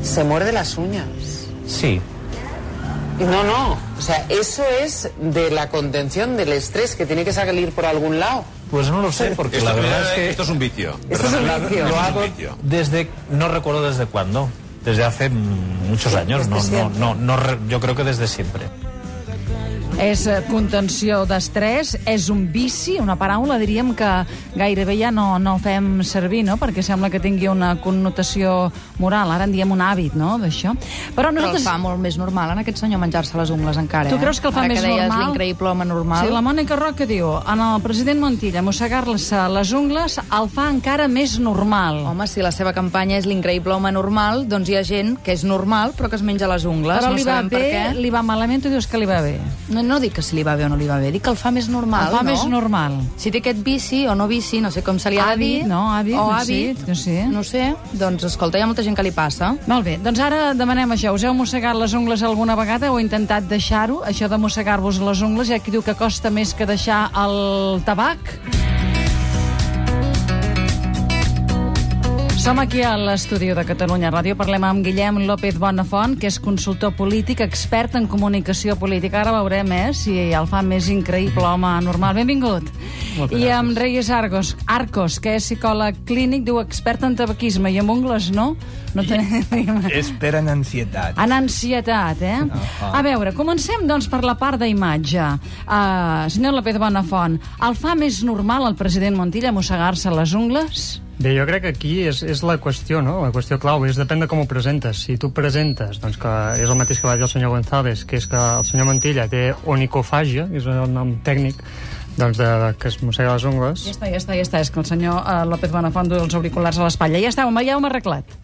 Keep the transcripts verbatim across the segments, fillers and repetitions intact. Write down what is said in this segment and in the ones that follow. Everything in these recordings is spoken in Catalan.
se muerde las uñas. Sí. No, no, o sea, eso es de la contención del estrés que tiene que salir por algún lado. Pues no lo sé, porque esto, la verdad es que... Esto es un vicio. Esto es un La, vicio. Lo hago desde... No recuerdo desde cuándo. Desde hace muchos años. No, no, no, no, yo creo que desde siempre. És contenció d'estrès, és un vici, una paraula, diríem que gairebé ja no, no fem servir, no?, perquè sembla que tingui una connotació moral. Ara en diem un hàbit, no?, d'això. Però, nosaltres... Però el fa molt més normal en aquest senyor menjar-se les ungles encara, eh? Tu creus que el fa Ara més que deies normal? l'increïble home normal. Sí, la Mònica Roca diu, en el president Montilla mossegar-se les ungles el fa encara més normal. Home, si la seva campanya és l'increïble home normal, doncs hi ha gent que és normal però que es menja les ungles. Però no li va sabem per bé, què. li va malament, tu dius que li va bé. No, no dic que si li va bé o no li va bé, dic que el fa més normal, El fa no? més normal. Si té aquest vici o no vici, no sé com se li ha de dir. Hàbit, no, hàbit, o no hàbit, sé, no sé. no sé. Doncs, escolta, hi ha molta gent que li passa. Molt bé, doncs ara demanem això. Us heu mossegat les ungles alguna vegada o heu intentat deixar-ho? Això de mossegar-vos les ungles, hi ha qui diu que costa més que deixar el tabac. Som aquí a l'estudi de Catalunya Ràdio. Parlem amb Guillem López Bonafont, que és consultor polític, expert en comunicació política. Ara veurem, eh, si el fa més increïble home normal. Benvingut. I amb Reyes Argos, Arcos, que és psicòleg clínic, diu expert en tabaquisme i amb ungles, no? No tenim... És per en ansietat. En ansietat, eh? Uh-huh. A veure, comencem, doncs, per la part d'imatge. Uh, senyor López Bonafont, el fa més normal el president Montilla mossegar-se les ungles? Bé, jo crec que aquí és, és la qüestió, no? La qüestió clau és depèn de com ho presentes. Si tu presentes, doncs que és el mateix que va dir el senyor González, que és que el senyor Montilla té onicofàgia, que és el nom tècnic, doncs de, que es mossega les ungles. Ja està, ja està, ja està. És que el senyor uh, López Bonafont du els auriculars a l'espatlla. Ja està, ja ho hem arreglat.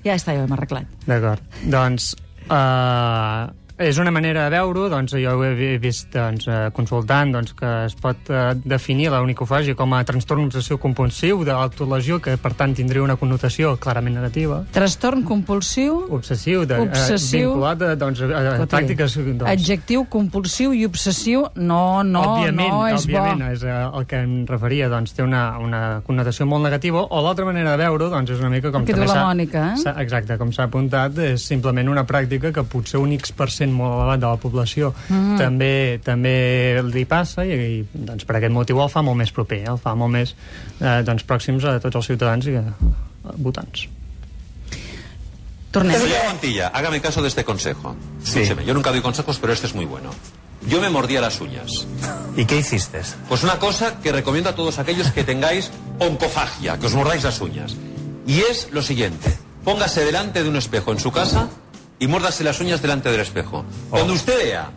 Ja està, ja ho hem arreglat. D'acord. Doncs... Uh, és una manera de veure-ho, doncs jo ho he vist doncs, consultant doncs, que es pot eh, definir la onicofàgia com a trastorn obsessiu compulsiu d'autolesió, que per tant tindria una connotació clarament negativa. Trastorn compulsiu... Obsessiu, de, obsessiu, eh, vinculat a, doncs, a, a pràctiques... Doncs, adjectiu compulsiu i obsessiu, no, no, òbviament, no és òbviament, bo. És el que em referia, doncs té una, una connotació molt negativa, o l'altra manera de veure-ho doncs, és una mica com... Que diu la Mònica, eh? Exacte, com s'ha apuntat, és simplement una pràctica que potser un X per cent molt elevat de la població mm. també també li passa i, i doncs, per aquest motiu el fa molt més proper, el fa molt més eh, doncs, pròxims a tots els ciutadans i a, a votants. Tornem. Señor Montilla, hágame caso de este consejo. Sí. Escúcheme, yo nunca doy consejos, pero este es muy bueno. Yo me mordía las uñas. ¿Y qué hiciste? Pues una cosa que recomiendo a todos aquellos que tengáis oncofagia, que os mordáis las uñas. Y es lo siguiente: póngase delante de un espejo en su casa y muérdase las uñas delante del espejo. Cuando usted vea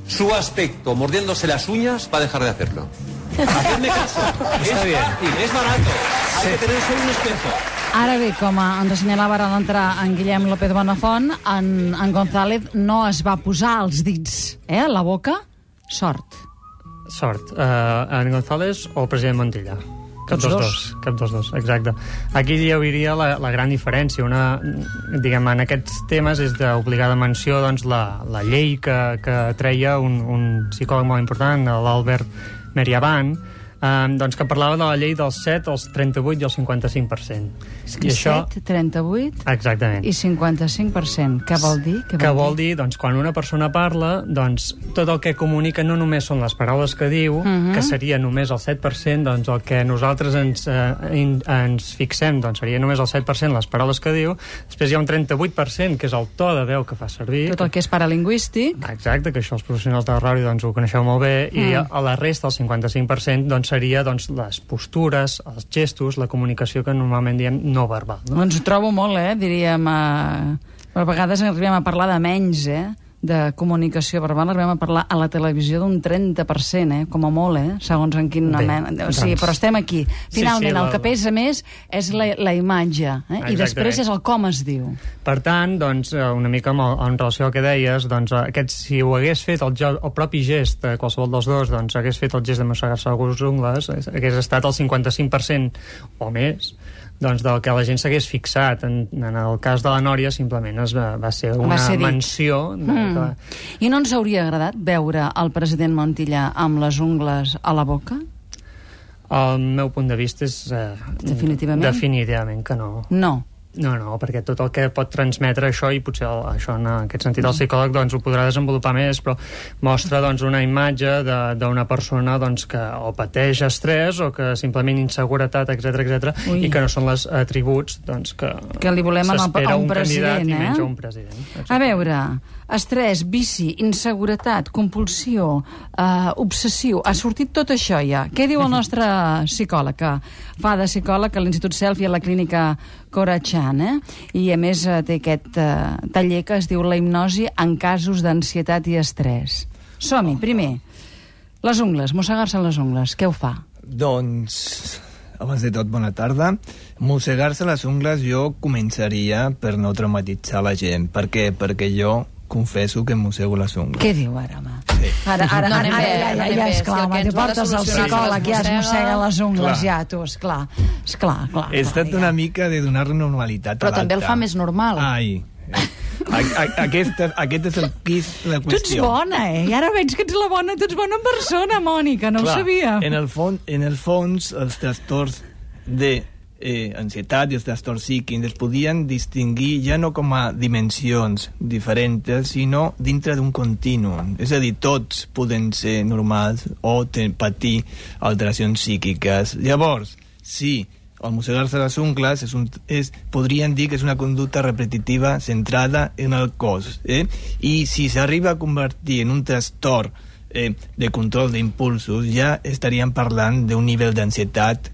su aspecto mordiéndose las uñas, va a dejar de hacerlo. Hacedme caso. Está es bien. fácil, es barato. Hay Sí. que tener solo un espejo. Ara bé, com ens assenyalava ara a l'entrar en Guillem López Bonafont, en, en González no es va posar els dits eh, a la boca. Sort. Sort. Uh, en González o el president Montilla? Cap dels dos. Cap dels dos, exacte. Aquí hi hauria la, la gran diferència. Una, diguem, en aquests temes és d'obligada menció doncs, la, la llei que, que treia un, un psicòleg molt important, l'Albert Meriaban, Um, doncs que parlava de la llei dels set, els trenta-vuit i el cinquanta-cinc per cent. I això... set, trenta-vuit Exactament. i cinquanta-cinc per cent. Què vol dir? Què vol, que vol dir, doncs, quan una persona parla, doncs, tot el que comunica no només són les paraules que diu, uh-huh. que seria només el set per cent, doncs el que nosaltres ens, eh, in, ens fixem, doncs seria només el set per cent les paraules que diu. Després hi ha un trenta-vuit per cent, que és el to de veu que fa servir. Tot el que és paralingüístic. Exacte, que això els professionals de la ràdio doncs, ho coneixeu molt bé, mm. i a, a la resta, el cinquanta-cinc per cent, doncs, seria doncs, les postures, els gestos, la comunicació que normalment diem no verbal. No? Doncs ho trobo molt, eh? Diríem... Eh... A vegades arribem a parlar de menys, eh? De comunicació verbal, arribem a parlar a la televisió d'un trenta per cent, eh? Com a molt, eh? Segons en quina mena... O sigui, doncs... però estem aquí. Finalment, sí, sí, la... el que pesa més és la, la imatge, eh? I després és el com es diu. Per tant, doncs, una mica en, en relació al que deies, doncs, aquest, si ho hagués fet el, el propi gest, qualsevol dels dos, doncs, hagués fet el gest de mossegar-se les ungles, hagués estat el cinquanta-cinc per cent o més, doncs del que la gent s'hagués fixat. En, en el cas de la Nòria simplement es va, va ser una va ser menció de, mm. que... I no ens hauria agradat veure el president Montilla amb les ungles a la boca? El meu punt de vista és eh, definitivament? definitivament que no. No. No, no, perquè tot el que pot transmetre això, i potser el, això en aquest sentit el psicòleg doncs, ho podrà desenvolupar més, però mostra doncs, una imatge d'una persona doncs, que o pateix estrès o que simplement inseguretat, etcètera etcètera, i que no són els atributs doncs, que, que li volem a un, un president, candidat eh? i menys a un president. Exacte. A veure, estrès, vici, inseguretat, compulsió, eh, obsessiu, ha sortit tot això ja. Què diu el nostre psicòleg, que fa de psicòleg a l'Institut Selfie a la clínica Corachan, eh? I a més té aquest eh, taller que es diu la hipnosi en casos d'ansietat i estrès. Som-hi, primer, les ungles, mossegar-se les ungles, què ho fa? Doncs, abans de tot, bona tarda. Mossegar-se les ungles jo començaria per no traumatitzar la gent. Per què? Perquè jo confesso que em mossego les ungles. Què diu ara, home? Sí. Ara, ara, No, ara, anem ara, bé, ja, ja, anem ja, bé. esclar, Si el home, que te ens ho ha de portes al solucionar psicòleg, ja es mossega- mossega les ungles, Clar. ja, tu, esclar. Esclar, clar. Es clar, tracta ja. una mica de donar-li normalitat Però a l'acte. també el fa més normal. Ai, a, a, aquest, aquest és el quis de la Tu ets qüestió. bona, eh? I ara veig que ets la bona, tu ets bona persona, Mònica, no Clar, ho sabia. En el, fons, en el fons, els trastorns de eh, ansietat i els trastorns psíquics es podien distingir ja no com a dimensions diferents, sinó dintre d'un contínuum. És a dir, tots poden ser normals o ten, patir alteracions psíquiques. Llavors, sí, el mossegar-se les ungles és un, és, podríem dir que és una conducta repetitiva centrada en el cos. Eh? I si s'arriba a convertir en un trastorn eh, de control d'impulsos, ja estaríem parlant d'un nivell d'ansietat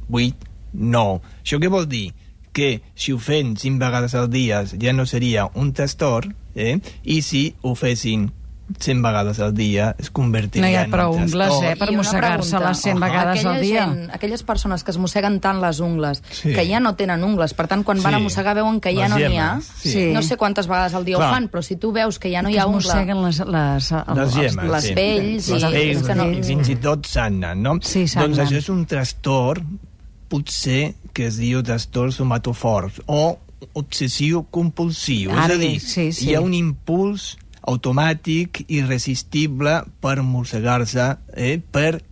vuit nou. Això què vol dir? Que si ho fem cinc vegades al dia ja no seria un trastorn, eh? I si ho fessin cent vegades al dia es convertiria No hi ha en prou un ungles, trastorn. eh, per I una mossegar-se pregunta. les cent vegades Aquella al dia. Gent, aquelles persones que es mosseguen tant les ungles, Sí. que ja no tenen ungles, per tant, quan van Sí. a mossegar veuen que ja Les no n'hi ha. gemmes, sí. Sí. No sé quantes vegades al dia Clar. ho fan, però si tu veus que ja no hi Que ha es ungle... mosseguen les, les, el, Les els- gemmes, les sí. pells i- les pells, és que no- i fins i tot sagnen, no? Sí, sagnen. Doncs això és un trastorn, potser, que es diu trastorn somatofort o obsessiu-compulsiu. És Ara a dir, bé, sí, sí. hi ha un impuls automàtic irresistible per mossegar-se, eh, per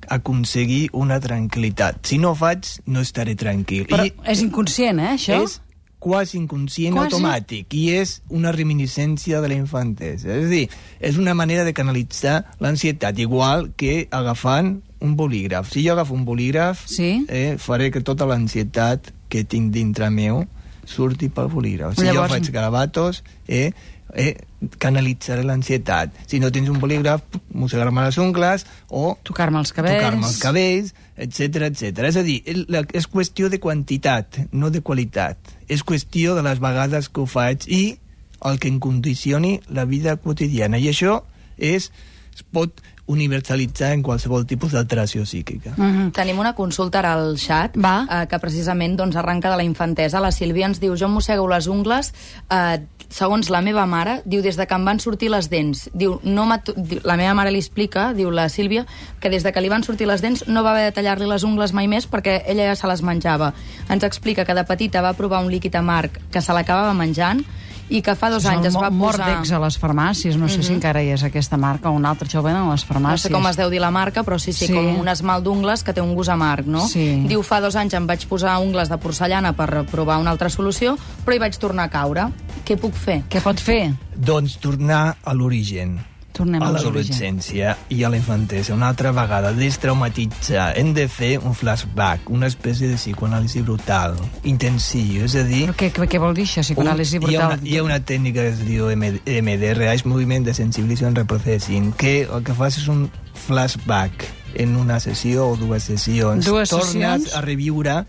aconseguir una tranquil·litat. Si no ho faig, no estaré tranquil. Però I és inconscient, eh, això? és quasi inconscient Quasi? automàtic i és una reminiscència de la infantesa. És a dir, és una manera de canalitzar l'ansietat, igual que agafant un bolígraf. Si jo agafo un bolígraf, Sí. eh, faré que tota l'ansietat que tinc dintre meu surti pel bolígraf. Si Llavors- jo faig garabatos, eh, eh, canalitzaré l'ansietat. Si no tens un bolígraf, mossegar-me les ungles o Tocar-me els cabells. tocar-me els cabells, etcètera, etcètera. És a dir, el- la, és qüestió de quantitat, no de qualitat. És qüestió de les vegades que ho faig i el que em condicioni la vida quotidiana. I això és, es pot universalitzar en qualsevol tipus d'alteració psíquica. Mhm. Tenim una consulta ara al xat Va. eh, que precisament doncs, arranca de la infantesa. La Sílvia ens diu, jo em mossego les ungles eh, segons la meva mare, diu, des de que em van sortir les dents. Diu, no m'atu- diu, la meva mare li explica, diu la Sílvia, que des de que li van sortir les dents no va haver de tallar-li les ungles mai més perquè ella ja se les menjava. Ens explica que de petita va provar un líquid amarg que se l'acabava menjant i que fa dos anys es va posar... Mordex a les farmàcies, no sé si encara hi és aquesta marca o una altra, això ho venen a les farmàcies. No sé com es deu dir la marca, però sí, sí, Sí. com un esmalt d'ungles que té un gust amarg, no? Sí. Diu, fa dos anys em vaig posar ungles de porcellana per provar una altra solució, però hi vaig tornar a caure. Què puc fer? Què pot fer? Doncs tornar a l'origen. Tornem a a l'origen. l'adolescència i a la infantesa. Una altra vegada, destraumatitzar. Hem de fer un flashback, una espècie de psicoanàlisi brutal, intensiu, és a dir... Però què, què, què vol dir això, psicoanàlisi un, hi, ha brutal? una, hi ha una tècnica que es diu M D R A, és moviment de sensibilització en reprocessing, que el que fas és un flashback en una sessió o dues sessions. Dues Tornes sessions? a reviure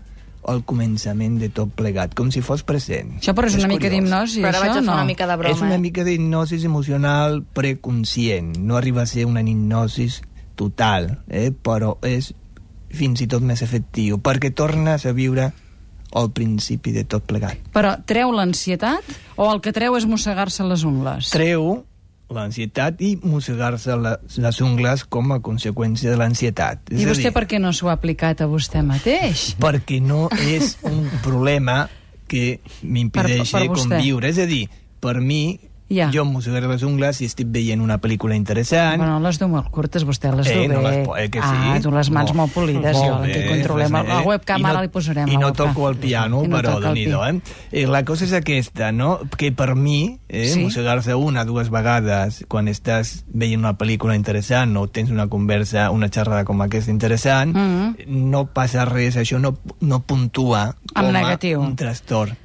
el començament de tot plegat, com si fos present. Això però és una mica curiós. d'hipnosi, Però ara això, vaig a fer no? una mica de broma. És una eh? mica d'hipnosi emocional preconscient. No arriba a ser una hipnosi total, eh? Però és fins i tot més efectiu, perquè tornes a viure al principi de tot plegat. Però treu l'ansietat o el que treu és mossegar-se les ungles? Treu l'ansietat i mossegar-se la, les ungles com a conseqüència de l'ansietat. És I a vostè dir, per què no s'ho ha aplicat a vostè mateix? perquè no és un problema que m'impedeixi Per- per vostè. conviure. És a dir, per mi Ja. Jo mossegar les ungles si estic veient una pel·lícula interessant. Bueno, les du molt curtes, vostè les du eh, bé. No les, eh, que sí. Ah, tu les mans molt, molt polides, molt jo bé, que controlem. Pues, eh, la webcam ara no, li posarem. I no toco el piano, no però déu-n'hi-do, eh? eh? La cosa és aquesta, no? Que per mi, eh, sí? mossegar-se una, dues vegades, quan estàs veient una pel·lícula interessant o tens una conversa, una xerrada com aquesta interessant, mm -hmm. no passa res, això no, no puntua com a negatiu. Un trastorn.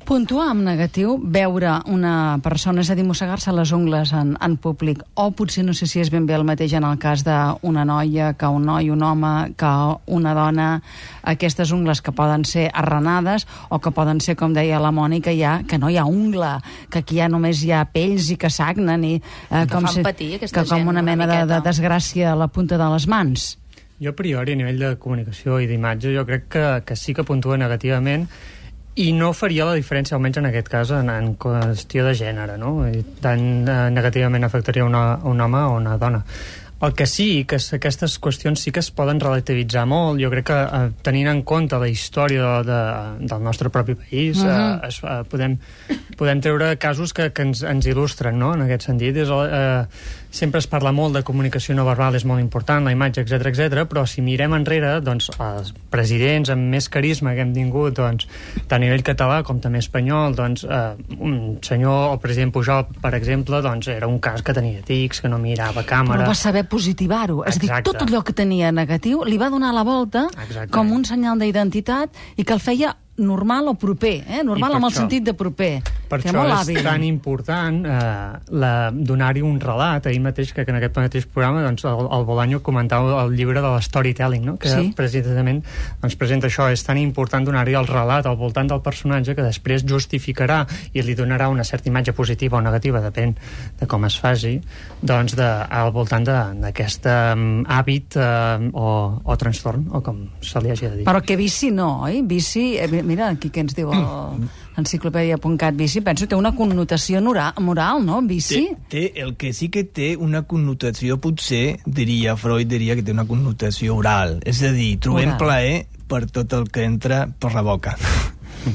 Puntuar amb negatiu, veure una persona, és a dir, mossegar-se les ungles en, en públic, o potser no sé si és ben bé el mateix en el cas d'una noia, que un noi, un home, que una dona, aquestes ungles que poden ser arranades o que poden ser, com deia la Mònica, ja, que no hi ha ungla, que aquí ja només hi ha pells i que sagnen i eh, com, si, patir, que com una mena una de, de desgràcia a la punta de les mans. Jo a priori, a nivell de comunicació i d'imatge, jo crec que, que sí que puntua negativament. I no faria la diferència, almenys en aquest cas, en, en qüestió de gènere, no? I tant eh, negativament afectaria una, un home o una dona. El que sí, que aquestes qüestions sí que es poden relativitzar molt. Jo crec que eh, tenint en compte la història de, de, del nostre propi país, uh -huh. eh, es, eh, podem, podem treure casos que, que ens, ens il·lustren, no?, en aquest sentit. És, eh, sempre es parla molt de comunicació no verbal, és molt important, la imatge, etcètera, etcètera, però si mirem enrere, doncs, els presidents amb més carisma que hem tingut, doncs, tant a nivell català com també espanyol, doncs, eh, un senyor, el president Pujol, per exemple, doncs, era un cas que tenia tics, que no mirava càmera... Però va saber positivar-ho, és a dir, tot allò que tenia negatiu li va donar la volta Exacte. com un senyal d'identitat i que el feia normal o proper, eh? normal amb el sentit de proper. Per això és tan important eh, donar-hi un relat. Ahir mateix, que en aquest mateix programa, doncs, el, el Bolaño comentava el llibre de l'storytelling, no? que sí? precisament doncs, presenta això. És tan important donar-hi el relat al voltant del personatge que després justificarà i li donarà una certa imatge positiva o negativa, depèn de com es faci, doncs, de, al voltant d'aquest um, hàbit uh, o, o trastorn, o com se li hagi de dir. Però que vici no, oi? Vici... Eh, mira, aquí què ens diu l'enciclopèdia punt cat, vici, penso té una connotació moral, no? Vici? Té, té, el que sí que té una connotació, potser, diria Freud, diria que té una connotació oral. És a dir, trobem oral. plaer per tot el que entra per la boca.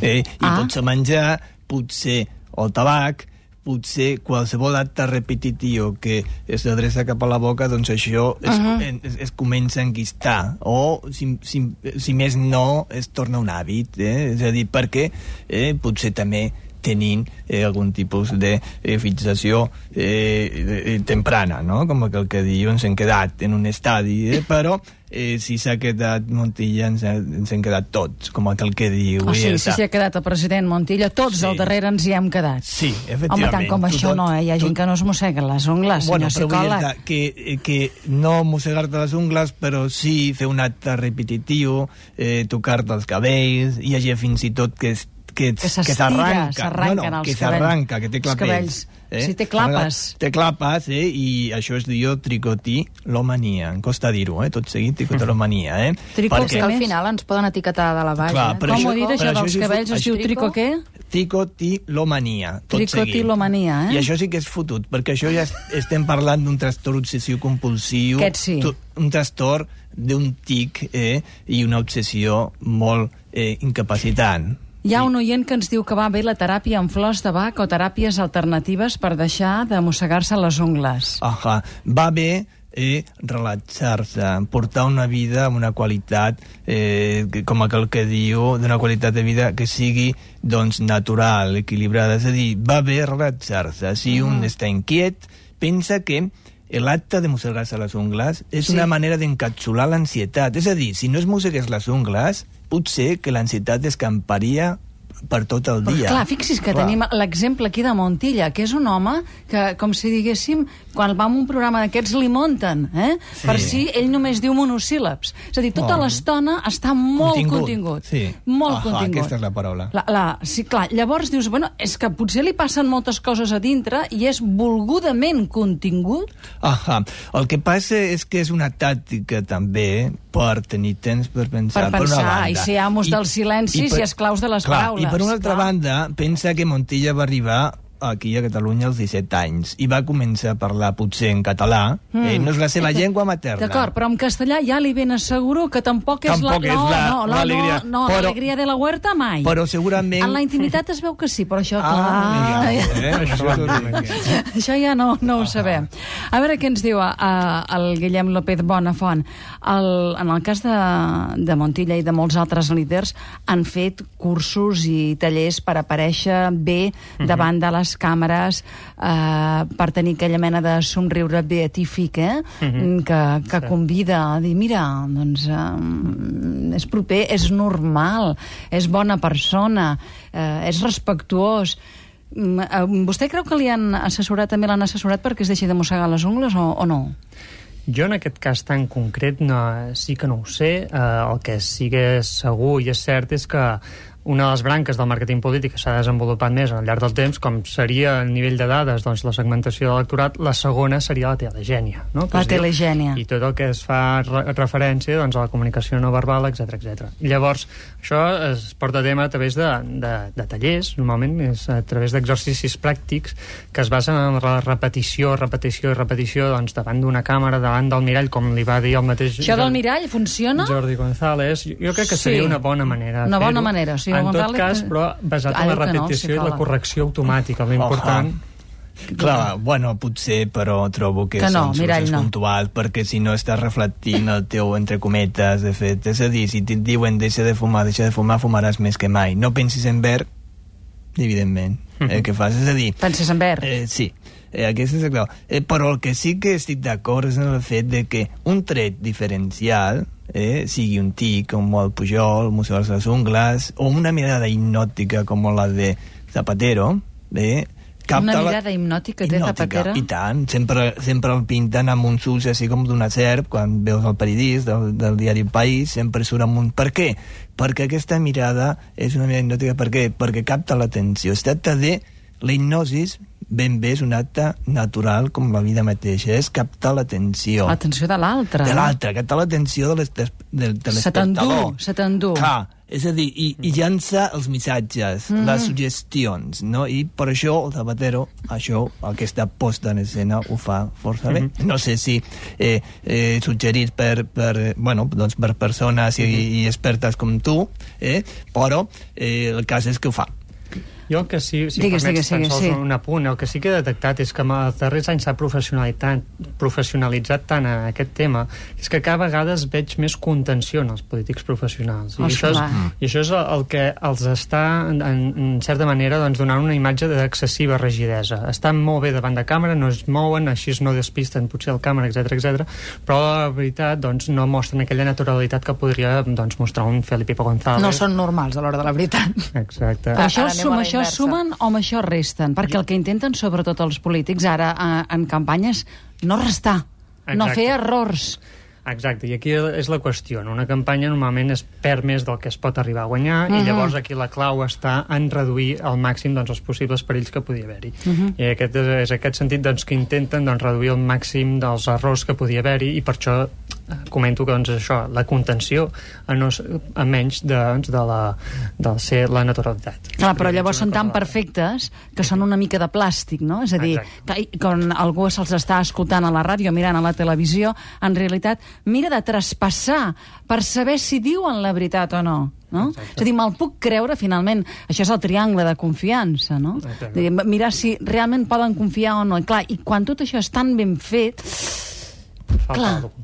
eh? I ah. pot ser menjar, potser el tabac, potser qualsevol acte repetitiu que s'adreça cap a la boca, doncs això es, uh -huh. es, es comença a enquistar, o si, si, si més no es torna un hàbit, eh? És a dir, perquè eh, potser també tenint eh, algun tipus de eh, fixació eh, temprana, no? Com el que diu, ens hem quedat en un estadi, eh? Però eh, si s'ha quedat Montilla, ens, ens hem quedat tots, com el que diu. Oh, sí, si s'hi ha quedat el president Montilla, tots sí. al darrere ens hi hem quedat. Sí, efectivament. Home, tant com tu, això no, eh? Hi ha gent que no es mossega les ungles, bueno, senyor psicòleg. Que, que no mossegar-te les ungles, però sí fer un acte repetitiu, eh, tocar-te els cabells, hi ha fins i tot que es que, que s'arranca, no, no, que s'arranca, que té clapells. Eh? Sí, té clapes. Té clapes, eh? I això es diu tricotilomania. Em costa dir-ho, eh? Tot seguit, tricotilomania, eh? Tricot, que al final ens poden etiquetar de la baix. Clar, eh? Com això, ho dit, això dels això, cabells? Es diu trico què? Tricotilomania. Tricotilomania, eh? I això sí que és fotut, perquè això ja estem parlant d'un trastorn obsessiu-compulsiu. Aquest sí. Un trastorn d'un tic, eh? I una obsessió molt eh, incapacitant. Hi ha un oient que ens diu que va bé la teràpia amb flors de bac o teràpies alternatives per deixar de mossegar-se les ungles. Ahà, va bé eh, relaxar-se, portar una vida amb una qualitat, eh, com aquell que diu, d'una qualitat de vida que sigui doncs, natural, equilibrada. És a dir, va bé relaxar-se. Si mm. un està inquiet, pensa que l'acte de mossegar-se les ungles és sí. una manera d'encapsular l'ansietat. És a dir, si no es mossegués les ungles, potser que l'ansietat escamparia per tot el dia. Però clar, fixi's que clar. tenim l'exemple aquí de Montilla, que és un home que, com si diguéssim, quan va a un programa d'aquests li munten, eh? Sí. Per si ell només diu monosíl·labs. És a dir, tota oh. l'estona està molt contingut. contingut. Sí. Molt Ahà, contingut. Aquesta és la paraula. La, la, sí, clar, llavors dius, bueno, és que potser li passen moltes coses a dintre i és volgudament contingut. Ahà. El que passa és que és una tàctica també per tenir temps per pensar. Per pensar, per una banda. i ser amos I, dels silencis i, per, i esclaus de les clar, paraules. I per una altra clar. banda, pensa que Montilla va arribar aquí a Catalunya als disset anys i va començar a parlar potser en català, mm. eh, no és la seva llengua materna. D'acord, però en castellà ja li ben asseguro que tampoc és tampoc la... és no, la, no, no, l'alegria. No, no, l'alegria de la huerta mai. Però segurament... En la intimitat es veu que sí, però això, ah, clar... Ja, eh? això, això ja no, no ho sabem. A veure què ens diu uh, el Guillem López Bonafont. El, en el cas de, de Montilla i de molts altres líders han fet cursos i tallers per aparèixer bé davant de les càmeres, eh, per tenir aquella mena de somriure beatífic, eh? Uh-huh. que, que sí. Convida a dir, mira, doncs eh, és proper, és normal, és bona persona, eh, és respectuós. Vostè creu que li han assessorat, també l'han assessorat perquè es deixi de mossegar les ungles o, o no? Jo en aquest cas tan concret no, sí que no ho sé. Eh, el que sí que és segur i és cert és que una de les branques del màrqueting polític que s'ha desenvolupat més al llarg del temps, com seria a nivell de dades, doncs la segmentació de l'electorat, la segona seria la telegènia. No? La telegènia. I tot el que es fa re referència doncs, a la comunicació no verbal, etcètera, etcètera. I llavors, això es porta a tema a través de, de, de tallers, normalment és a través d'exercicis pràctics que es basen en la repetició, repetició i repetició doncs, davant d'una càmera, davant del mirall, com li va dir el mateix... Això del mirall funciona? Jordi González. Jo crec que seria sí. una bona manera de Una bona fer-ho. manera, sí. En tot cas, però basat en la repetició no, si i la correcció automàtica, l'important... Clar, bueno, potser, però trobo que, que no, són mirall, solucions no. puntuals, perquè si no estàs reflectint el teu entre cometes, de fet, és a dir, si et diuen deixa de fumar, deixa de fumar, fumaràs més que mai. No pensis en verd, evidentment, mm-hmm. eh, què fas? És a dir... Penses en verd? Eh, sí, eh, aquesta és la clau. Eh, però el que sí que estic d'acord és en el fet de que un tret diferencial, eh, sigui un tic, com el Pujol, mossegar les ungles, o una mirada hipnòtica com la de Zapatero, eh, una mirada la... hipnòtica té Zapatero? I tant, sempre, sempre el pinten amb uns ulls així com d'una serp, quan veus el periodista del, del diari El País, sempre surt amb un... Per què? Perquè aquesta mirada és una mirada hipnòtica, per què? Perquè capta l'atenció. Es tracta de... La hipnosis ben bé és un acte natural com la vida mateixa, és captar l'atenció. L'atenció de l'altre. De l'altre, captar l'atenció de l'espectador. Se t'endú, se t'endú. Clar, és a dir, i, i llança els missatges, mm. les suggestions, no? I per això el Zapatero, això, aquesta posta en escena, ho fa força bé. Mm-hmm. No sé si eh, eh, suggerit per, per, bueno, doncs per persones i, mm-hmm. i expertes com tu, eh, però eh, el cas és que ho fa. Jo el que sí, si digues, permets digues, tan digues, sols sí. un apunt, el que sí que he detectat és que en els darrers anys s'ha professionalitzat, professionalitzat tant a aquest tema, és que cada vegada es veig més contenció en els polítics professionals. I, oh, això és, I això és el que els està, en, en certa manera, doncs, donant una imatge d'excessiva rigidesa. Estan molt bé davant de càmera, no es mouen, així no despisten potser el càmera, etcètera, etcètera, però la veritat doncs, no mostren aquella naturalitat que podria doncs, mostrar un Felipe González. No són normals a l'hora de la veritat. Exacte. Però això suma, això sumen o amb això resten? Perquè el que intenten, sobretot els polítics, ara en campanyes, no restar, no Exacte. Fer errors. Exacte, i aquí és la qüestió. En una campanya normalment es perd més del que es pot arribar a guanyar uh-huh. i llavors aquí la clau està en reduir al màxim doncs, els possibles perills que podia haver-hi. Uh-huh. I aquest és, és aquest sentit doncs, que intenten doncs, reduir al màxim dels errors que podia haver-hi i per això comento que doncs, això, la contenció a, no, a menys de, doncs, de, la, de ser la naturalitat. Clar, però llavors són tan perfectes que són una mica de plàstic, no? És a dir, que, quan algú se'ls està escoltant a la ràdio, mirant a la televisió, en realitat mira de traspassar per saber si diuen la veritat o no. No? És a dir, me'l puc creure finalment. Això és el triangle de confiança, no? Dir, mirar si realment poden confiar o no. I, clar, i quan tot això és tan ben fet, falta clar, alguna.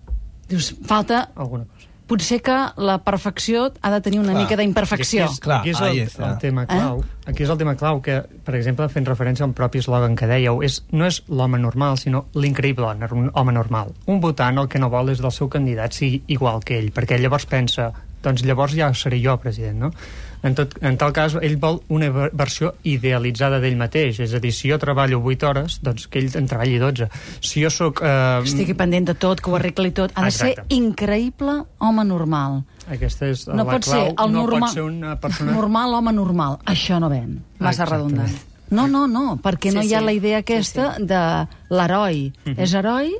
Dius, falta alguna cosa. Potser que la perfecció ha de tenir una clar. Mica d'imperfecció. Aquí és, clar, aquí és el, el tema clau. Eh? Aquí és el tema clau que, per exemple, fent referència al propi eslògan que dèieu, és, no és l'home normal, sinó l'increïble home normal. Un votant el que no vol és del seu candidat sigui igual que ell, perquè llavors pensa, doncs llavors ja seré jo president, no? En, tot, en tal cas, ell vol una versió idealitzada d'ell mateix. És a dir, si jo treballo vuit hores, doncs que ell en treballi dotze. Si jo sóc... Eh... Estigui pendent de tot, que ho arregli tot. Ha de Exacte. Ser increïble home normal. Aquesta és no la pot clau. Ser el no normal, pot ser una persona... normal, home normal. Això no ven. Massa redundant. No, no, no, perquè sí, no hi ha sí. La idea aquesta sí, sí. De l'heroi. Mm-hmm. És heroi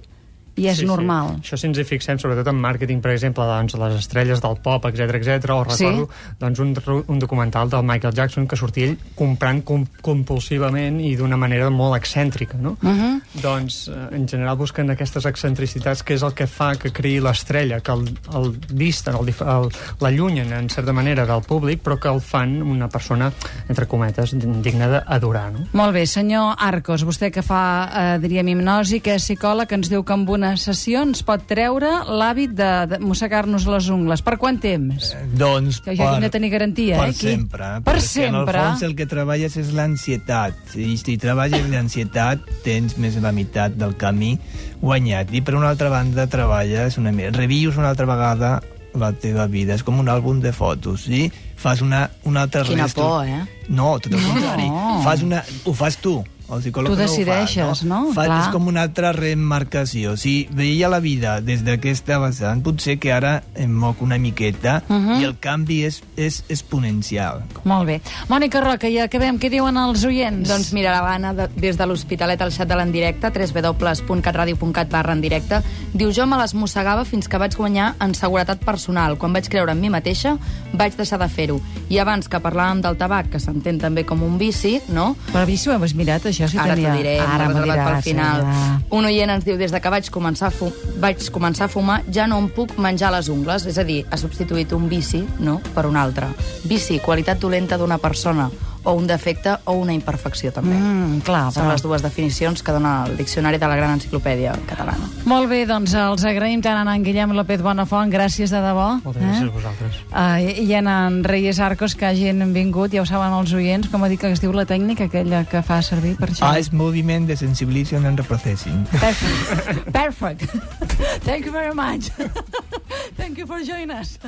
i és sí, normal. Sí. Això si ens hi fixem, sobretot en màrqueting, per exemple, doncs, les estrelles del pop, etcètera, etcètera, o recordo sí. doncs, un, un documental del Michael Jackson que sortia ell comprant com, compulsivament i d'una manera molt excèntrica, no? Uh -huh. Doncs, eh, en general, busquen aquestes excentricitats, que és el que fa que creï l'estrella, que el, el disten, el, el, l'allunyen, en certa manera, del públic, però que el fan una persona, entre cometes, digna d'adorar, no? Molt bé, senyor Arcos, vostè que fa, eh, diríem, hipnosi, que és psicòleg, que ens diu que amb una sessió ens pot treure l'hàbit de, de mossegar-nos les ungles. Per quant temps? Eh, doncs que ja per, hem de tenir garantia, per eh? Aquí. sempre. Per perquè sempre. En el fons el que treballes és l'ansietat. I si treballes l'ansietat, tens més de la meitat del camí guanyat. I per una altra banda, treballes una mica, revius una altra vegada la teva vida. És com un àlbum de fotos, sí? Fas una, una altra Quina restru... por, eh? No, tot el No. contrari. Fas una... Ho fas tu. El psicòleg Tu no ho decideixes, fa, no? Fa, Clar. és com una altra remarcació. Si veia la vida des d'aquesta vessant, potser que ara em moc una miqueta uh -huh. i el canvi és, és exponencial. Molt bé. Mònica Roca, ja acabem. Què diuen els oients? Doncs mira, l'Anna, de, des de l'Hospitalet al xat de l'endirecte, w w w punt catradio punt cat barra en directe, diu, jo me les mossegava fins que vaig guanyar en seguretat personal. Quan vaig creure en mi mateixa, vaig deixar de fer-ho. I abans que parlàvem del tabac, que s'entén també com un vici, no? Però vici ho has mirat, això? Si Ara tenia... t'ho diré, Ara m'ho m'ho he reservat pel diràs, final. ja. Un oient ens diu, des de que vaig començar, a fu vaig començar a fumar, ja no em puc menjar les ungles. És a dir, ha substituït un vici, no?, per un altre. Vici, qualitat dolenta d'una persona, o un defecte o una imperfecció, també. Mm, clar, Són però... les dues definicions que dona el Diccionari de la Gran Enciclopèdia Catalana. Molt bé, doncs els agraïm tant a en Guillem López Bonafont, gràcies de debò. Moltes gràcies a vosaltres. Uh, I a en Reyes Arcos, que hagin vingut, ja ho saben els oients, com ha dit que es diu la tècnica aquella que fa servir per això. Ah, és moviment de sensibilization and reprocessing. Perfect. Perfect. Thank you very much. Thank you for joining us.